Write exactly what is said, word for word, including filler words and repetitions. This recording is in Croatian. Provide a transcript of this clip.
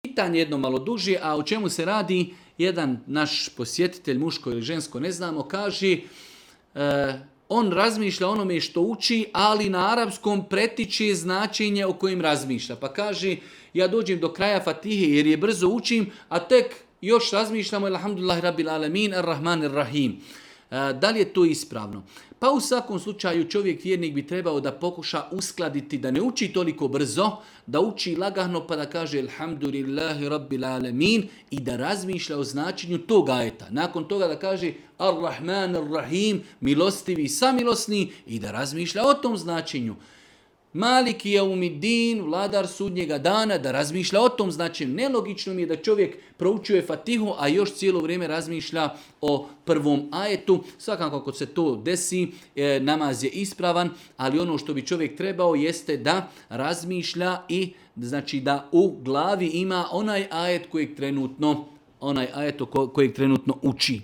pitanje jedno malo duže, a o čemu se radi? Jedan naš posjetitelj, muško ili žensko, ne znamo, kaže, e, on razmišlja onome što uči, ali na arapskom pretiče značenje o kojem razmišlja. Pa kaže, ja dođem do kraja Fatihe jer je brzo učim, a tek još razmišljamo, alhamdulillah rabbil alamin, ar-rahman ar-rahim. Da li je to ispravno? Pa u svakom slučaju čovjek vjernik bi trebao da pokuša uskladiti, da ne uči toliko brzo, da uči lagano pa da kaže alhamdulillahi rabbil alamin i da razmišlja o značenju tog ajeta. Nakon toga da kaže ar-rahman ar-rahim, milostivi samilosni i da razmišlja o tom značenju. Maliki jaumiddin, vladar sudnjega dana, da razmišlja o tom značenju. Nelogično mi je da čovjek proučuje Fatihu, a još cijelo vrijeme razmišlja o prvom ajetu. Svakako ako se to desi, namaz je ispravan, ali ono što bi čovjek trebao jeste da razmišlja i znači da u glavi ima onaj ajet kojeg trenutno, onaj ajet kojeg trenutno uči.